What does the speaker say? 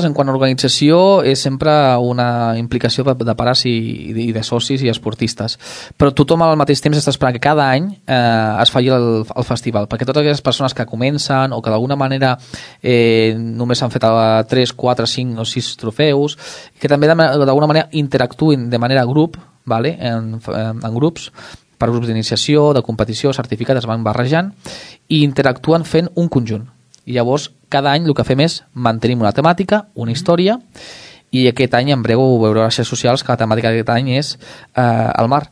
en quant a organització és sempre una implicació de pares i de socis i esportistes, però tothom al mateix temps està esperant que cada any es faci el festival, perquè totes aquelles persones que comencen o que d'alguna manera només han fet 3, 4, 5 o 6 trofeus, que també d'alguna manera interactuïn de manera grup, vale? en grups, per grups d'iniciació, de competició, certificat, es van barrejant i interactuen fent un conjunt. I llavors, cada any el que fem és mantenim una temàtica, una història, i aquest any en breu veureu a les xarxes socials que la temàtica d'aquest any és el mar.